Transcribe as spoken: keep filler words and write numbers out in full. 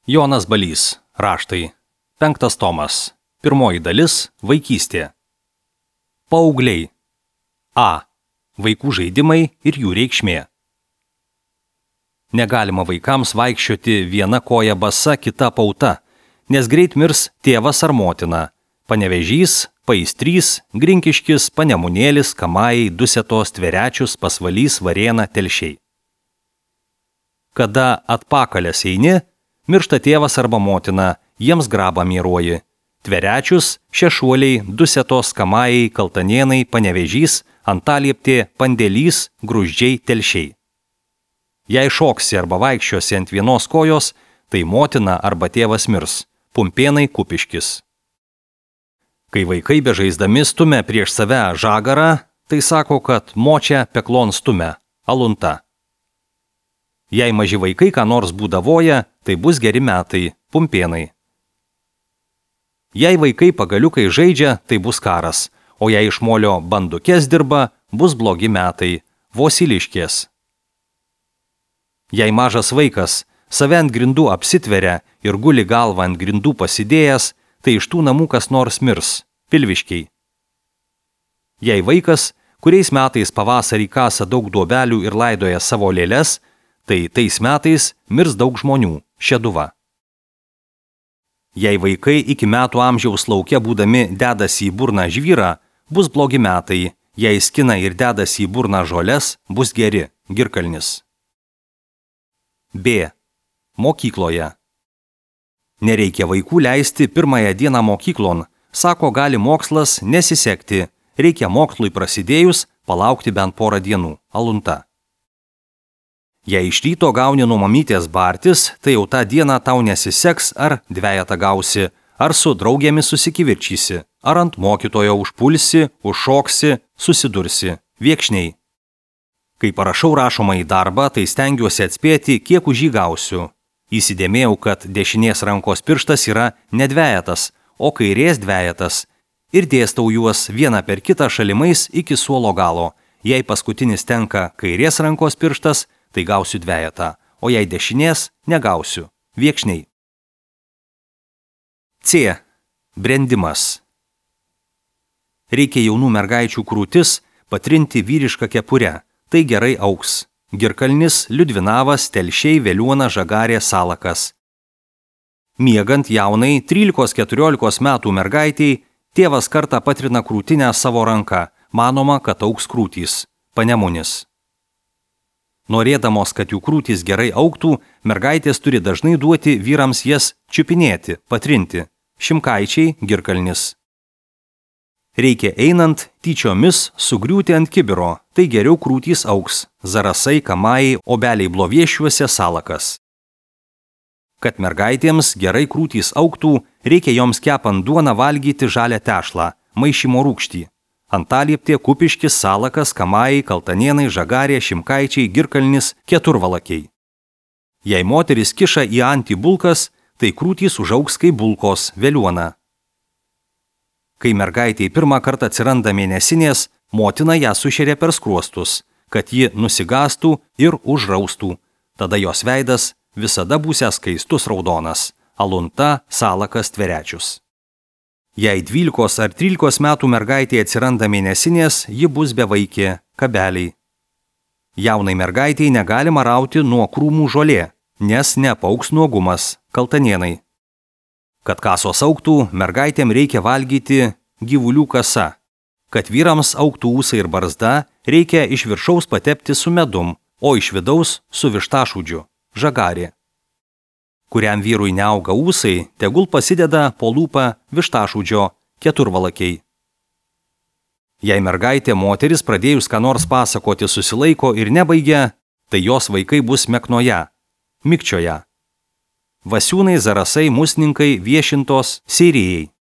Jonas Balys. Raštai. Penktas tomas. Pirmoji dalis – vaikystė. Paaugliai. A. Vaikų žaidimai ir jų reikšmė. Negalima vaikams vaikščioti viena koja basa, kita pauta, nes greit mirs tėvas ar motina. Panevėžys, Paistrys, Grinkiškis, Panemunėlis, Kamajai, Dusetos, Tverečius, Pasvalys, Varėna, Telšiai. Kada atpakalės eini, miršta tėvas arba motina, jiems grabą mieruoji. Tverečius, Šešuoliai, Dusetos, Kamajai, Kaltanėnai, Panevėžys, Antalieptė, Pandėlys, Gruzdžiai, Telšiai. Jei šoksi arba vaikščiosi ant vienos kojos, tai motina arba tėvas mirs. Pumpėnai, Kupiškis. Kai vaikai bežaisdami stumia prieš save žagarą, tai sako, kad močia peklon stumia. Alunta. Jei maži vaikai ką nors būdavoja, tai bus geri metai. Pumpėnai. Jei vaikai pagaliukai žaidžia, tai bus karas, o jei iš molio bandukės dirba, bus blogi metai. Vosiliškės. Jei mažas vaikas save ant grindų apsitveria ir guli galvą ant grindų pasidėjęs, tai iš tų namų kas nors mirs. Pilviškiai. Jei vaikas, kuriais metais pavasarį kasa daug duobelių ir laidoja savo lėles, tai tais metais mirs daug žmonių. Šeduva. Jei vaikai iki metų amžiaus lauke būdami dedasi į burną žvyrą, bus blogi metai. Jei skina ir dedasi į burną žoles, bus geri. Girkalnis. B. Mokykloje. Nereikia vaikų leisti pirmąją dieną mokyklon, sako, gali mokslas nesisekti, reikia mokslui prasidėjus palaukti bent porą dienų. Alunta. Jei iš ryto gauni nuo mamytės bartis, tai jau tą dieną tau nesiseks, ar dvejetą gausi, ar su draugėmis susikivirčysi, ar ant mokytojo užpulsi, užšoksi, susidursi. Viekšniai. Kai parašau rašomą į darbą, tai stengiuosi atspėti, kiek už jį gausiu. Įsidėmėjau, kad dešinės rankos pirštas yra ne dvejetas, o kairės dvejetas, ir dėstau juos vieną per kitą šalimais iki suolo galo. Jei paskutinis tenka kairės rankos pirštas, tai gausiu dvejetą, o jei dešinės, negausiu. Viekšniai. C. Brendimas. Reikia jaunų mergaičių krūtis patrinti vyrišką kepurę, tai gerai augs. Girkalnis, Liudvinavas, Telšiai, Veliuona, Žagarė, Salakas. Miegant jaunai trylikos keturiolikos metų mergaitei, tėvas kartą patrina krūtinę savo ranką, manoma, kad augs krūtys. Panemunis. Norėdamos, kad jų krūtys gerai augtų, mergaitės turi dažnai duoti vyrams jas čiupinėti, patrinti. Šimkaičiai, Girkalnis. Reikia einant tyčiomis sugriūti ant kibiro, tai geriau krūtys augs. Zarasai, Kamajai, Obeliai Bloviešiuose, Salakas. Kad mergaitėms gerai krūtys augtų, reikia joms kepant duoną valgyti žalią tešlą, maišymo rūgštį. Antalieptė, Kupiškis, Salakas, Kamajai, Kaltanėnai, Žagarė, Šimkaičiai, Girkalnis, Keturvalakiai. Jei moteris kiša į antį bulkas, tai krūtys užaugs kaip bulkos. Veliuona. Kai mergaitei pirmą kartą atsiranda mėnesinės, motina ją sušeria per skruostus, kad ji nusigastų ir užraustų. Tada jos veidas visada būsiąs skaistus raudonas. Alunta, Salakas, Tverečius. Jei dvylikos ar trylikos metų mergaitė atsiranda mėnesinės, ji bus bevaikė. Kabeliai. Jaunai mergaitei negalima rauti nuo krūmų žolė, nes neapaugs nuogumas. Kaltanėnai. Kad kasos augtų, mergaitėm reikia valgyti gyvulių kasa. Kad vyrams augtų ūsai ir barzda, reikia iš viršaus patepti su medum, o iš vidaus su vištašūdžiu. Žagarė. Kuriam vyrui neauga ūsai, tegul pasideda po lūpą vištašūdžio. Keturvalakiai. Jei mergaitė moteris pradėjus ką nors pasakoti susilaiko ir nebaigia, tai jos vaikai bus meknoje. Mikčioje. Vasiūnai, Zarasai, Musninkai, Viešintos, Seirijai.